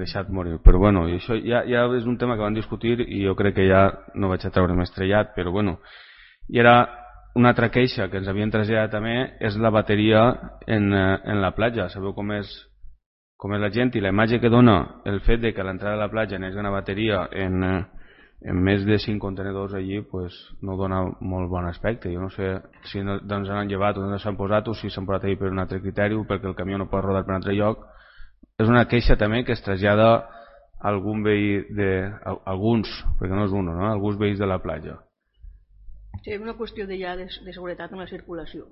deixat morir. Però bueno, i això ja és un tema que van discutir i jo crec que ja no vaig a treure més trellat, però bueno. I era una altra queixa que ens havien traslladat també, és la bateria en la platja. Sabeu com és la gent, i la imatge que dona el fet de que a l'entrada de la platja n'hi hagi una bateria en més de 5 contenedors allí, pues, no dona molt bon aspecte. Jo no sé si doncs han llevat o no s'han posat, o si s'han posat allí per un altre criteri, perquè el camió no pot rodar per un altre lloc. És una queixa també que es trasllada a algun veí alguns, perquè no és un, no? Alguns veïns de la platja. Sí, és una qüestió de seguretat en la circulació.